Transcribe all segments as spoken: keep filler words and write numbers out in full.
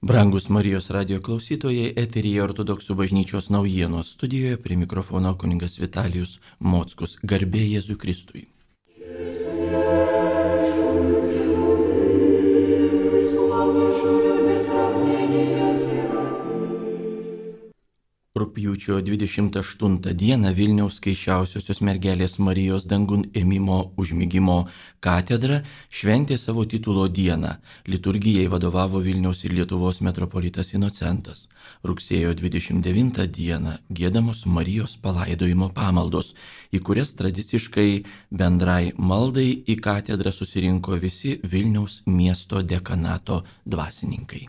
Brangus Marijos radijo klausytojai, eteryje Ortodoksų bažnyčios naujienos studijoje, prie mikrofono kunigas Vitalijus Mockus. Garbė Jėzui Kristui. Rugpjūčio dvidešimt aštuntą dieną Vilniaus Skaisčiausiosios mergelės Marijos dangun ėmimo užmigimo katedra šventė savo titulo dieną. Liturgijai vadovavo Vilniaus ir Lietuvos metropolitas Inocentas. Rugsėjo dvidešimt devintą dieną giedamos Marijos palaidojimo pamaldos, į kurias tradiciškai bendrai maldai į katedrą susirinko visi Vilniaus miesto dekanato dvasininkai.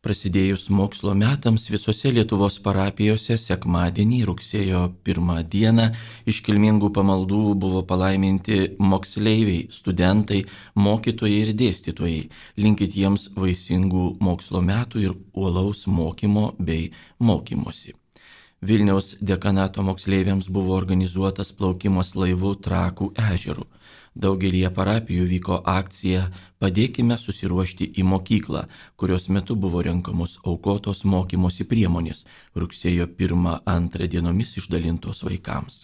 Prasidėjus mokslo metams visose Lietuvos parapijose sekmadienį rugsėjo pirmą dieną iškilmingų pamaldų buvo palaiminti moksleiviai, studentai, mokytojai ir dėstytojai. Linkit jiems vaisingų mokslo metų ir uolaus mokymo bei mokymosi. Vilniaus dekanato moksleiviams buvo organizuotas plaukimas laivu Trakų ežeru. Daugelyje parapijų vyko akcija Padėkime susiruošti į mokyklą, kurios metu buvo renkamos aukotos mokymosi priemonės, rugsėjo pirmą antrą dienomis išdalintos vaikams.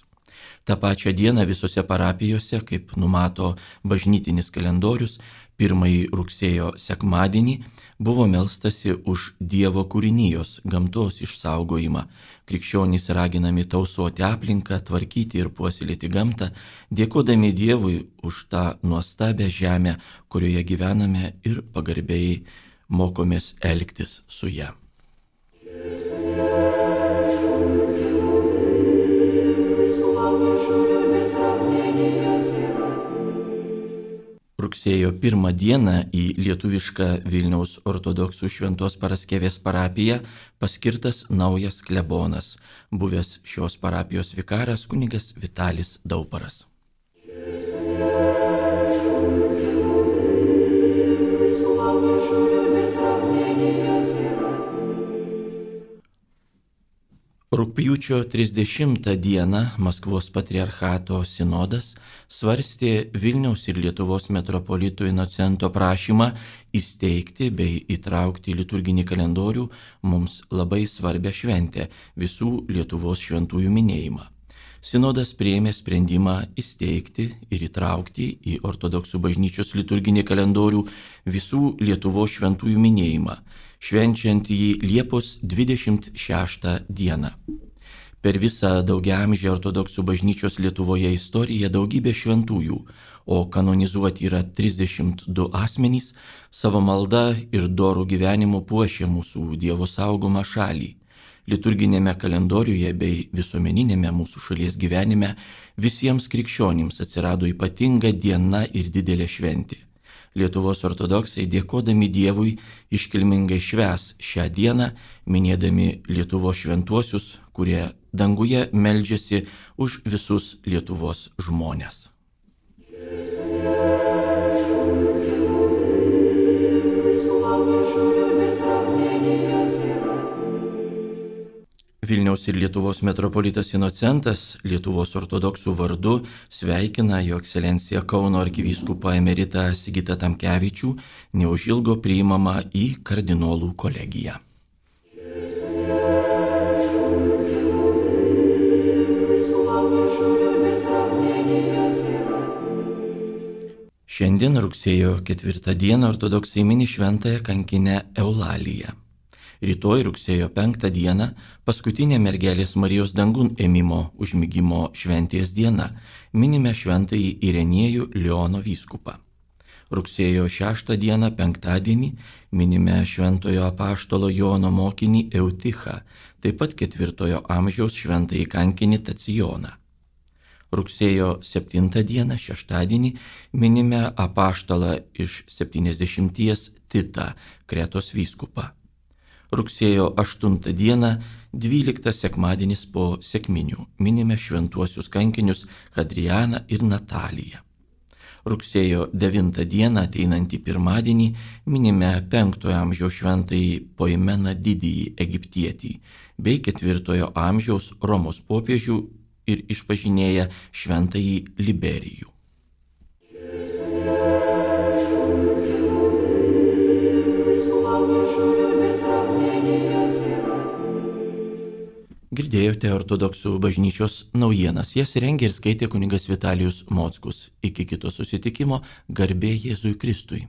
Ta pačia diena visose parapijose, kaip numato bažnytinis kalendorius, pirmąjį rugsėjo sekmadienį buvo melstasi už Dievo kūrinijos, gamtos išsaugojimą. Krikščionys raginami tausoti aplinką, tvarkyti ir puoselėti gamtą, dėkodami Dievui už tą nuostabią žemę, kurioje gyvename ir pagarbiai mokomės elgtis su ja. Rugsėjo pirmą dieną į lietuvišką Vilniaus ortodoksų Šventos Paraskevės parapiją paskirtas naujas klebonas, buvęs šios parapijos vikaras kunigas Vitalis Dauparas. Rugpjūčio trisdešimtą dieną Maskvos patriarchato sinodas svarstė Vilniaus ir Lietuvos metropolito Inocento prašymą įsteigti bei įtraukti į liturginį kalendorių mums labai svarbią šventę – visų Lietuvos šventųjų minėjimą. Sinodas priėmė sprendimą įsteigti ir įtraukti į ortodoksų bažnyčios liturginį kalendorių visų Lietuvos šventųjų minėjimą, švenčiant jį Liepos dvidešimt šeštą dieną. Per visą daugiaamžę ortodoksų bažnyčios Lietuvoje istoriją daugybė šventųjų, o kanonizuoti yra trisdešimt du asmenys, savo malda ir dorų gyvenimu puošė mūsų Dievo saugomą šalį. Liturginėme kalendoriuje bei visuomeninėme mūsų šalies gyvenime visiems krikščionims atsirado ypatinga diena ir didelė šventė. Lietuvos ortodoksai dėkodami Dievui iškilmingai švęs šią dieną, minėdami Lietuvos šventuosius, kurie danguje meldžiasi už visus Lietuvos žmones. Vilniaus ir Lietuvos metropolitas Inocentas Lietuvos ortodoksų vardu sveikina jo ekscelenciją Kauno arkivyskupą emeritą Sigitą Tamkevičių, neužilgo priimamą į kardinolų kolegiją. Šiandien rugsėjo ketvirtą dieną ortodoksai mini šventąją kankinę Eulaliją. Rytoj rugsėjo penktą dieną paskutinė mergelės Marijos dangun ėmimo užmigimo šventės diena, minime šventąjį Irenėjų Leono vyskupą. Rugsėjo šeštą dieną penktadienį minime šventojo apaštalo Jono mokinį Eutichą, taip pat ketvirtojo amžiaus šventąjį kankinį Tacijoną. Rugsėjo septintą dieną šeštadienį minime apaštalą iš septyniasdešimties Titą, Kretos vyskupą. Rugsėjo aštuntą dieną, dvyliktas sekmadienis po sekminių, minime šventuosius kankinius Hadrianą ir Nataliją. Rugsėjo devintą dieną, ateinantį pirmadienį, minime penktojo amžiaus šventąjį Poimeną didįjį egiptietį bei ketvirtojo amžiaus Romos popiežių ir išpažinėja šventąjį Liberijų. Girdėjote ortodoksų bažnyčios naujienas, jas rengė ir skaitė kunigas Vitalijus Mockus. Iki kito susitikimo, garbė Jėzui Kristui.